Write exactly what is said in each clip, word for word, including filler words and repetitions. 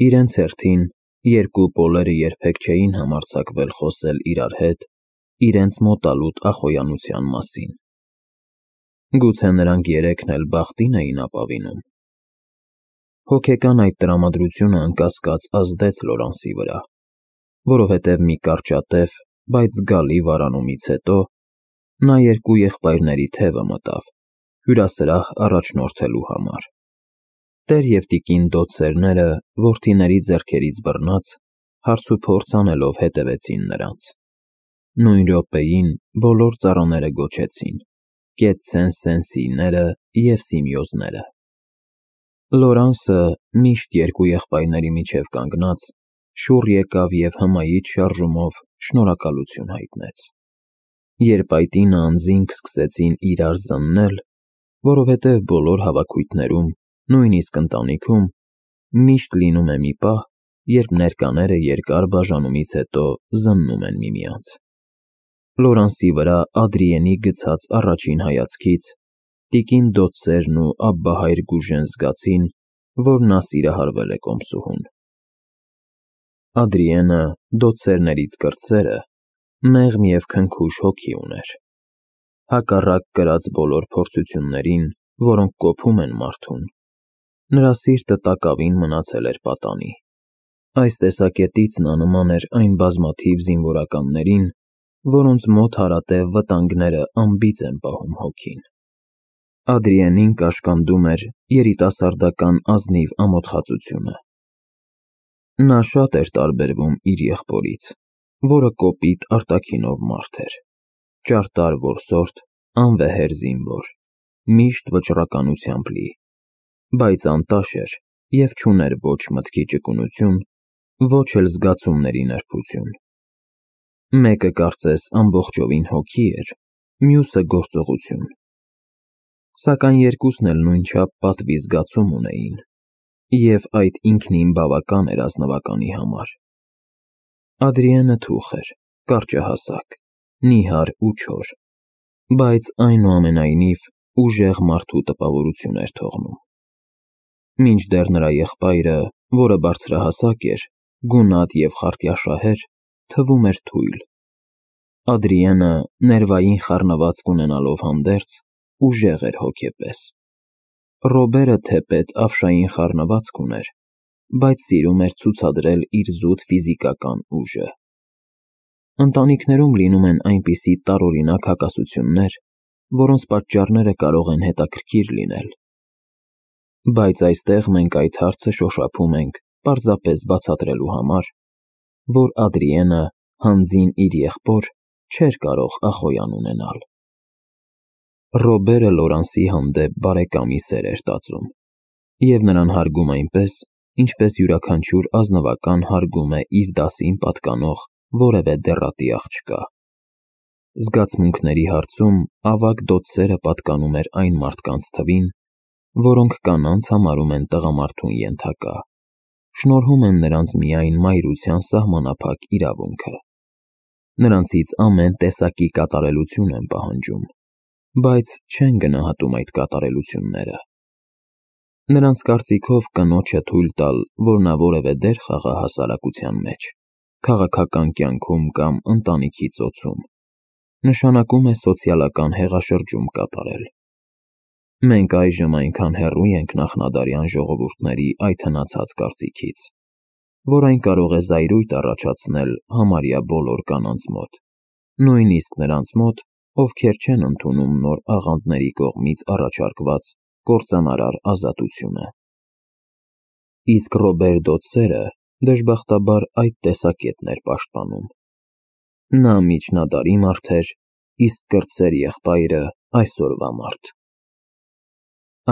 Իրենց հերթին, երկու պոլերը երբեք չէին համարձակվել խոսել իրար հետ իրենց մոտալուտ ախոյանության մասին։ Գուցե նրանք երեքն էլ բախտին էին ապավինում։ Հոգեկան այդ տրամադրությունը անկասկած ազդեց Լորանսի վրա, որովհետև մի կարճատև, բայց զգալի վարանումից հետո նա երկու եղբայրների թևը մտավ, հյուրասրահ առաջնորդելու համար։ Տեր և տիկին դոցերները, որդիների ձեռքերից բռնած, հարցուփորձ անելով հետևեցին նրանց։ Նույն րոպեին բոլոր ծառաները գոչեցին. «Կետ Սեն-Սենսիները և Սիմեոզները»։ Լորանսը, միշտ երկու եղբայրների միջև կանգնած, շուռ եկավ և հմայիչ շարժումով շնորհակալություն հայտնեց։ Երբ այդ ինը անձինք սկսեցին իրար զննել, որովհետև բոլոր հավաքույթներում, նույնիսկ ընտանիքում, միշտ լինում է մի պահ, երբ ներկաները երկար բաժանումից հետո զննում են միմյանց։ Լորանսի վրա Ադրիենի գցած առաջին հայացքից տիկին դոցերն ու Աբբահայր Գուժեն զգացին, որ նա սիրահարվել է կոմսուհուն։ Ադրիենը, դոցերներից կրտսերը, մեղմ և քնքուշ հոգի ուներ։ Հակառակ կրած բոլոր փորձություններին, որոնք կոփում են մարդուն, նրա սիրտը տակավին մնացել էր պատանի։ Այս տեսակետից նա նման էր այն բազմաթիվ զինվորականներին, որոնց մոտ հարատև վտանգները անբիծ են պահում հոգին։ Ադրիենին կաշկանդում էր երիտասարդական ազնիվ ամոթխածությունը։ Նա շատ էր տարբերվում իր եղբորից, որը կոպիտ արտաքինով մարդ էր, ճարտար որսորդ, անվեհեր զինվոր, միշտ վճռականությամբ լի, բայց անտաշ էր և չուներ ոչ մտքի ճկունություն, ոչ էլ զգացումների նրբություն։ Մեկը կարծես ամբողջովին հոգի էր, մյուսը գործողություն։ Սակայն երկուսն էլ նույնչափ պատվի զգացում ունեին, և այդ ինքնին բավական էր ազնվականի համար։ Ադրիենը թուխ էր, կարճահասակ, նիհար ու չոր, բայց այնուամենայնիվ ուժեղ մարդու տպավորություն էր թողնում։ Մինչդեռ նրա եղբայրը, որը բարձրահասակ էր, գունատ և խարտյաշահեր, թվում էր թույլ։ Ադրիենը, ներվային խառնվածք ունենալով հանդերձ, ուժեղ էր հոգեպես։ Ռոբերը թեպետ ապշային խառնվածք ուներ, բայց սիրում էր ցուցադրել իր զուտ ֆիզիկական ուժը։ Ընտանիքներում լինում են այնպիսի տարօրինակ հակասություններ, որոնց պատճառները կարող են հետաքրքիր լինել։ Բայց այստեղ մենք այդ հարցը շոշափում ենք պարզապես բացատրելու համար, որ Ադրիենը հանձին իր եղբոր չէր կարող ախոյան ունենալ։ Ռոբերը Լորանսի հանդեպ բարեկամի սեր էր տածում և նրան հարգում այնպես, ինչպես յուրաքանչյուր ազնվական հարգում է իր դասին պատկանող որևէ դեռատի աղջկա։ Զգացմունքների հարցում ավագ դոցերը պատկանում էր այն մարդկանց թվին, որոնք կանանց համարում են տղամարդուն ենթակա, շնորհում են նրանց միայն մայրության սահմանափակ իրավունքը։ Նրանցից ամեն տեսակի կատարելություն են պահանջում, բայց չեն գնահատում այդ կատարելությունները։ Նրանց կարծիքով կնոջը թույլ տալ, որ նա որևէ դեր խաղա հասարակության մեջ, քաղաքական կյանքում կամ ընտանիքի ծոցում, նշանակում է սոցիալական հեղաշրջում կատարել։ Մենք այժմ այնքան հեռու ենք նախնադարյան ժողովուրդների այդ հնացած կարծիքից, որ այն կարող է զայրույթ առաջացնել համարյա բոլոր կանանց մոտ, նույնիսկ նրանց մոտ, ովքեր չեն ընդունում նոր աղանդների կողմից առաջարկված կործանարար ազատությունը։ Իսկ Ռոբեր դոցերը դժբախտաբար այդ տեսակետն էր պաշտպանում։ Նա միջնադարի մարդ էր, իսկ կրտսեր եղբայրը այսօրվա մարդ։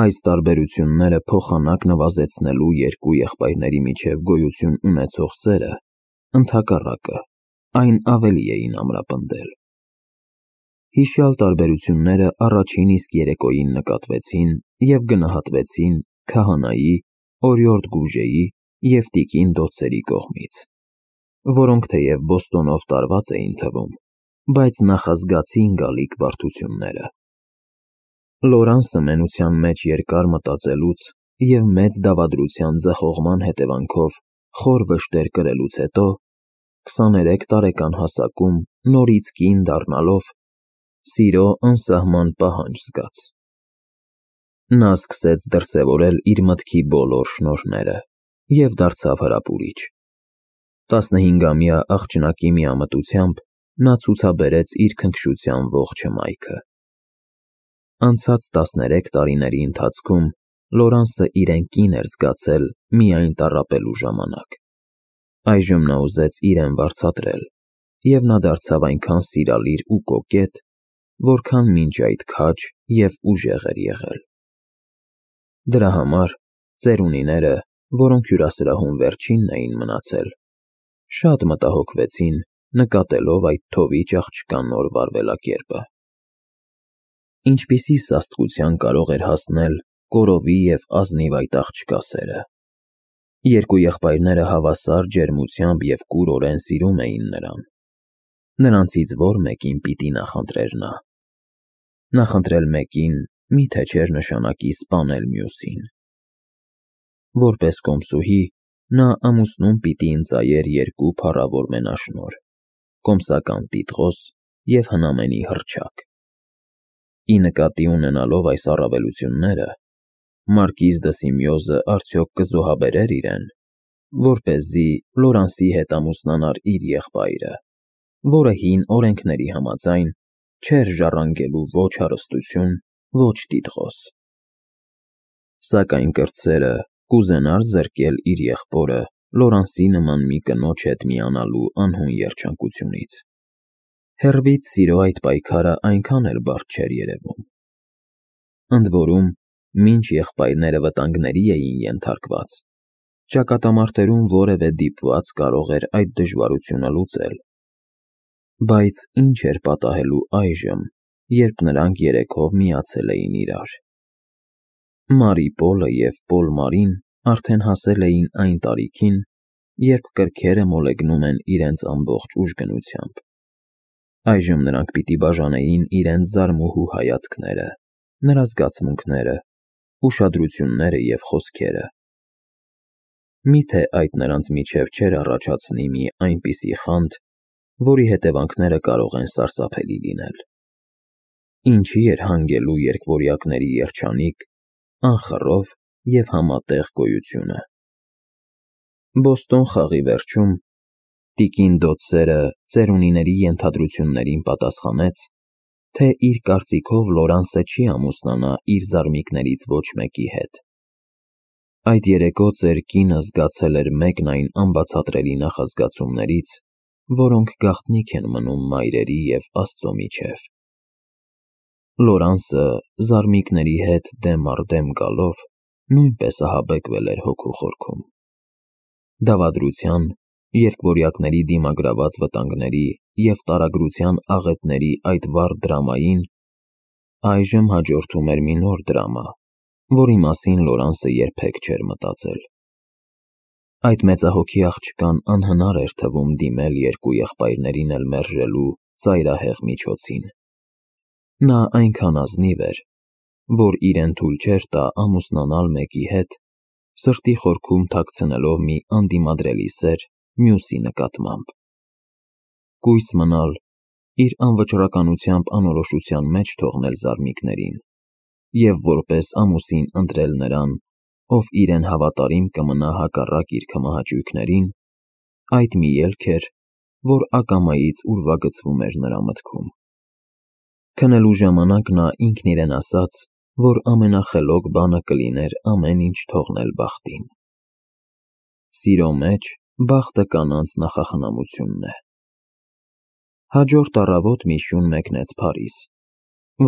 Այս տարբերությունները փոխանակ նվազեցնելու երկու եղբայրների միջև գոյություն ունեցող սերը, ընդհակառակը, այն ավելի էին ամրապնդել։ Հիշյալ տարբերությունները առաջին իսկ երեկոյին նկատվեցին և գնահատվեցին քահանայի, օրիորդ Գուժեի և տիկին դոցերի կողմից, որոնք թեև Բոստոնով տարված էին թվում, բայց նախազգացին գալիք բարդությունները։ Լորանսը մենության մեջ երկար մտածելուց և մեծ դավադրության ձախողման հետևանքով խոր վշտեր կրելուց հետո, քսաներեք տարեկան հասակում նորից կին դառնալով, սիրո անսահման պահանջ զգաց։ Նա սկսեց դրսևորել իր մտքի բոլոր շնորհները և դարձավ հրապուրիչ։ Տասնհինգամյա աղջնակի միամտությամբ նա ցուցաբերեց իր քնքշության ողջ հմայքը։ Անցած տասներեք տարիների ընթացքում Լորանսը իրեն կին էր զգացել միայն տառապելու ժամանակ։ Այժմ նա ուզեց իրեն վարձատրել, և նա դարձավ այնքան սիրալիր ու կոկետ, որքան մինչ այդ քաջ և ուժեղ էր եղել։ Դրա համար ծերունիները, որոնք հյուրասրահում վերջինն էին մնացել, շատ մտահոգվեցին, նկատելով այդ թովիչ աղջկա նոր վարվելակերպը։ Ինչպիսի սաստկության կարող էր հասնել կորովի և ազնիվ այդ աղջկա սերը։ Երկու եղբայրները հավասար ջերմությամբ և կուրորեն սիրում էին նրան։ Նրանցից ո՞ր մեկին պիտի նախընտրեր նա։ Նախընտրել մեկին մի՞թե չէր նշանակի սպանել մյուսին։ Որպես կոմսուհի նա ամուսնուն պիտի ընծայեր երկու փառավոր մենաշնորհ՝ կոմսական տիտղոս և հնամենի հռչակ։ Ի նկատի ունենալով այս առավելությունները, մարկիզ դը Սիմեոզը արդյոք կզոհաբերե՞ր իրեն, որպեսզի Լորանսի հետ ամուսնանար իր եղբայրը, որը հին օրենքների համաձայն չէր ժառանգելու ոչ հարստություն, ոչ տիտղոս։ Սակայն կրտսերը կուզենա՞ր զրկել իր եղբորը Լորանսի նման մի կնոջ հետ միանալու անհուն երջանկությունից։ Հեռվից սիրո այդ պայքարը այնքան էլ բարդ չէր երևում։ Ընդ որում, մինչ եղբայրները վտանգների էին ենթարկված, ճակատամարտերում որևէ դիպված կարող էր այդ դժվարությունը լուծել։ Բայց ի՞նչ էր պատահելու այժմ, երբ նրանք երեքով միացել էին իրար։ Մարի Պոլը և Պոլ Մարին արդեն հասել էին այն տարիքին, երբ կրքերը մոլեգնում են իրենց ամբողջ ուժգնությամբ։ Այժմ նրանք պիտի բաժանեին իրենց զարմուհու հայացքները, նրա զգացմունքները, ուշադրությունները և խոսքերը։ Մի՞թե այդ նրանց միջև չէր առաջացնի մի այնպիսի խանդ, որի հետևանքները կարող են սարսափելի լինել։ Ինչի էր հանգելու երկվորյակների երջանիկ, անխռով և համատեղ գոյությունը։ Բոստոն խաղի վերջում տիկին Դոդսերը ծերունիների ենթադրություններին պատասխանեց, թե իր կարծիքով Լորանսը չի ամուսնանա իր զարմիկներից ոչ մեկի հետ։ Այդ երեկո ծեր կինը զգացել էր մեկն այն անբացատրելի նախազգացումներից, որոնք գաղտնիք են մնում մայրերի և Աստծո միջև։ Լորանսը զարմիկների հետ դեմ առ դեմ գալով նույնպես ահաբեկվել էր հոգու խորքում։ Դավադրության, երկվորյակների դիմագրաված վտանգների և տարագրության աղետների այդ վառ դրամային այժմ հաջորդում էր մի նոր դրամա, որի մասին Լորանսը երբեք չէր մտածել։ Այդ մեծահոգի աղջկան անհնար էր թվում դիմել երկու եղբայրներին էլ մերժելու ծայրահեղ միջոցին։ Նա այնքան ազնիվ էր, որ իրեն թույլ չէր տա ամուսնանալ մեկի հետ, սրտի խորքում թաքցնելով մի անդիմադրելի սեր մյուսի նկատմամբ։ Կույս մնալ, իր անվճռականությամբ անորոշության մեջ թողնել զարմիկներին և որպես ամուսին ընտրել նրան, ով իրեն հավատարիմ կմնա հակառակ իր քմահաճույքներին, այդ մի ելք էր, որ ակամայից ուրվագծվում էր նրա մտքում։ Քնելու ժամանակ նա ինքն իրեն ասաց, որ ամենախելոք բանը կլիներ ամեն ինչ թողնել բախտին։ Սիրո մեջ բախտը կանանց նախախնամությունն է։ Հաջորդ առավոտ Միշուն մեկնեց Փարիզ,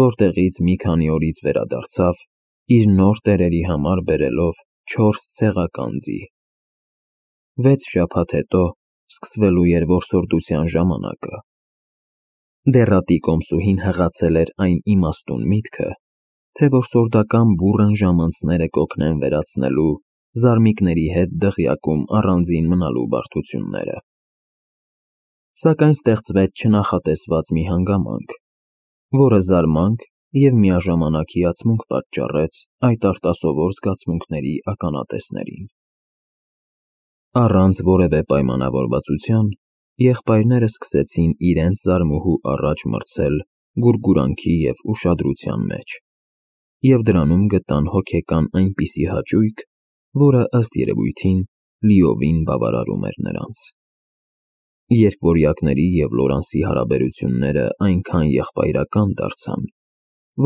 որտեղից մի քանի օրից վերադարձավ, իր նոր տերերի համար բերելով չորս ցեղական ձի։ Վեց շաբաթ հետո սկսվելու էր որսորդության ժամանակը։ Դեռատի կոմսուհին հղացել էր այն իմաստուն միտքը, թե որսորդական բուռն ժամանցները կօգնեն վերացնելու զարմիկների հետ դղյակում առանձին մնալու բարդությունները։ Սակայն ստեղծվեց չնախատեսված մի հանգամանք, որը զարմանք և միաժամանակ հիացմունք պատճառեց այդ արտասովոր զգացմունքների ականատեսներին։ Առանց որևէ պայմանավորվածության եղբայրները սկսեցին իրենց զարմուհու առաջ մրցել գուրգուրանքի և ուշադրության մեջ, և դրանում գտան հոգեկան այնպիսի հաճույք, որը, ըստ երևույթին, լիովին բավարարում էր նրանց։ Երկվորյակների և Լորանսի հարաբերությունները այնքան եղբայրական դարձան,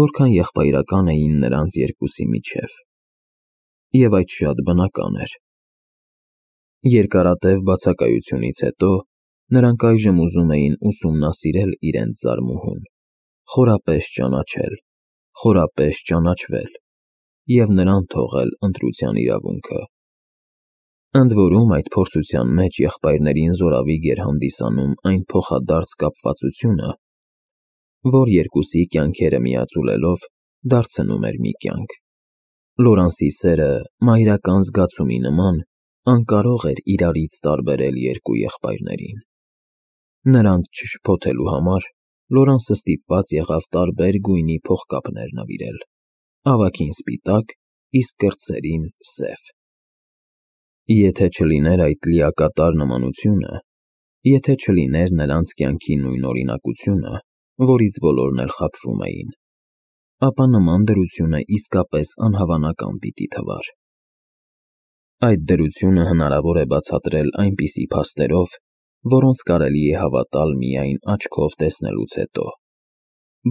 որքան եղբայրական էին նրանց երկուսի միջև, և այդ շատ բնական էր։ Երկարատև բացակայությունից հետո նրանք այժմ ուզում էին ուսումնասիրել իրենց զարմուհուն, խորապես ճանաչել, խորապես ճանաչվել և նրան թողել ընտրության իրավունքը։ Ընդ որում, այդ փորձության մեջ եղբայրներին զորավիգ էր հանդիսանում այն փոխադարձ կապվածությունը, որ երկուսի կյանքերը միաձուլելով դարձնում էր մի կյանք։ Լորանսի սերը, մայրական զգացումի նման, անկարող էր իրարից տարբերել երկու եղբայրներին։ Նրանց չշփոթելու համար Լորանսը ստիպված եղավ տարբեր գույնի փողկապներ նվիրել՝ ավագին սպիտակ, իսկ կրտսերին՝ սև։ Եթե չլիներ այդ լիակատար նմանությունը, եթե չլիներ նրանց կյանքի նույնօրինակությունը, որից բոլորն էլ խաբվում էին, ապա նման դրությունը իսկապես անհավանական պիտի թվար։ Այդ դրությունը հնարավոր է բացատրել այնպիսի փաստերով, որոնց կարելի է հավատալ միայն աչքով տեսնելուց հետո,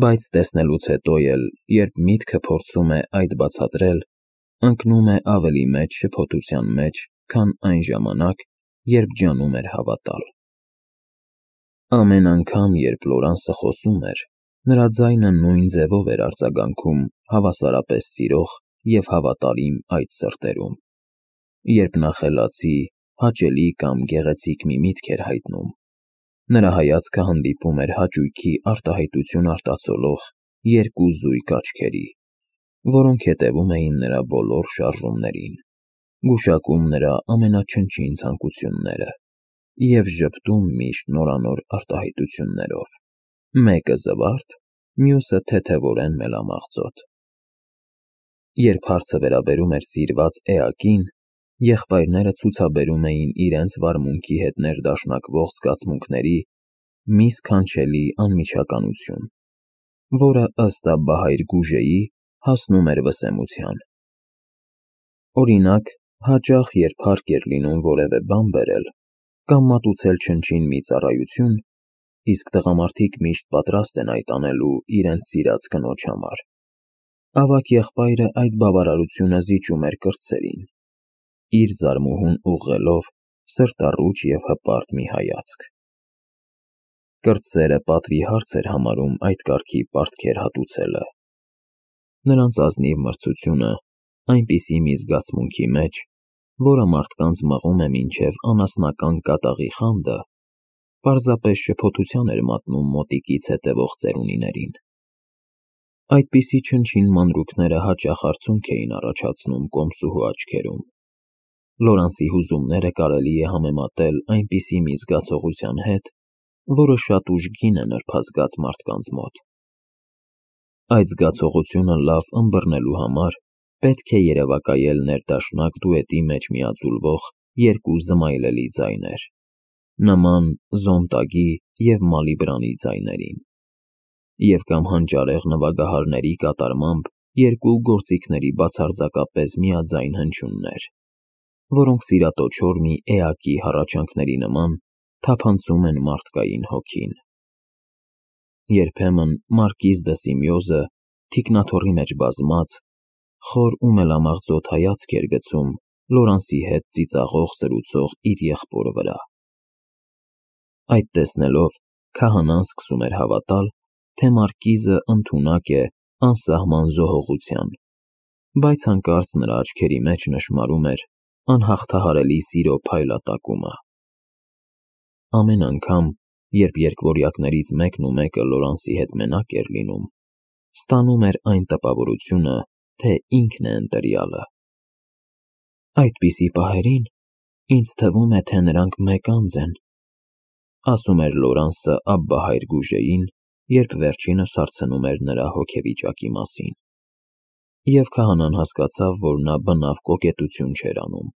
բայց տեսնելուց հետո էլ, երբ միտքը փորձում է այդ բացատրել, ընկնում է ավելի մեծ շփոթության մեջ, քան այն ժամանակ, երբ ջանում էր հավատալ։ Ամեն անգամ, երբ Լորանսը խոսում էր, նրա ձայնը նույն ձևով էր արձագանքում հավասարապես սիրող և հավատարիմ այդ սրտերում, երբ նա խելացի, հաճելի կամ գեղեցիկ մի միտք էր հայտնում, նրա հայացքը հանդիպում էր հաճույքի արտահայտություն արտացոլող երկու զույգ աչքերի, որոնք հետևում էին նրա բոլոր շարժումներին, գուշակում նրա ամենաչնչին ցանկությունները և ժպտում միշտ նորանոր արտահայտություններով, մեկը զվարթ, մյուսը թեթևորեն մելամաղձոտ։ Երբ հարցը վերաբերում էր սիրված էակին, եղբայրները ցուցաբերում էին իրենց վարմունքի հետ ներդաշնակվող զգացմունքների մի սքանչելի անմիջականություն, որը, ըստ Աբբահայր Գուժեի, հասնում էր վսեմության։ Օրինակ, հաճախ, երբ հարկ էր լինում որևէ բան բերել կամ մատուցել չնչին մի ծառայություն, իսկ տղամարդիկ միշտ պատրաստ են այդ անելու իրենց սիրած կնոջ համար, ավագ եղբայրը այդ բավարարությունը զիջում էր կրտսերին, իր զարմուհուն ուղղելով սրտառուչ և հպարտ մի հայացք։ Կրտսերը պատվի հարց էր համարում այդ կարգի պարտքեր հատուցելը։ Նրանց ազնիվ մրցությունը այնպիսի մի զգացմունքի մեջ, որը մարդկանց մղում է մինչև անասնական կատաղի խանդը, պարզապես շփոթության էր մատնում մոտիկից հետևող ծերունիներին։ Այդպիսի չնչին մանրուքները հաճախ արցունք էին առաջացնում կոմսուհու աչքերում։ Լորանսի հուզումները կարելի է համեմատել այնպիսի մի զգացողության հետ, որը շատ ուժգին է նրբազգաց մարդկանց մոտ։ Այդ զգացողությունը լավ ըմբռնելու համար պետք է երևակայել ներդաշնակ դուետի մեջ միաձուլվող երկու զմայլելի ձայներ, նման Զոնտագի և Մալիբրանի ձայներին, և կամ հանճարեղ նվագահարների կատարմամբ երկու գործիքների բացարձակապես միաձայն հնչյուններ, որոնք սիրատոչոր մի էակի հառաչանքների նման թափանցում են մարդկային հոգին։ Երբեմն մարկիզ դը Սիմեոզը, թիկնաթոռի մեջ բազմած, խոր ու մելամաղձոտ հայացք էր գցում Լորանսի հետ ծիծաղող զրուցող իր եղբորը վրա։ Այդ տեսնելով, քահանան սկսում էր հավատալ, թե մարկիզը ընդունակ է անսահման զոհողության, բայց հանկարծ նրա աչքերի մեջ նշմարում էր անհաղթահարելի սիրո փայլատակումը։ Ամեն անգամ, երբ երկվորյակներից մեկն ու մեկը Լորանսի հետ մենակ էր լինում, ստանում էր այն տպավորությունը, թե ինքն է ընտրյալը։ «Այդպիսի պահերին ինձ թվում է, թե նրանք մեկ անձ են», ասում էր Լորանսը Աբբահայր Գուժեին, երբ վերջինս հարցնում էր նրա հոգեվիճակի մասին, և քահանան հասկացավ, որ նա բնավ կոկետություն չէր անում։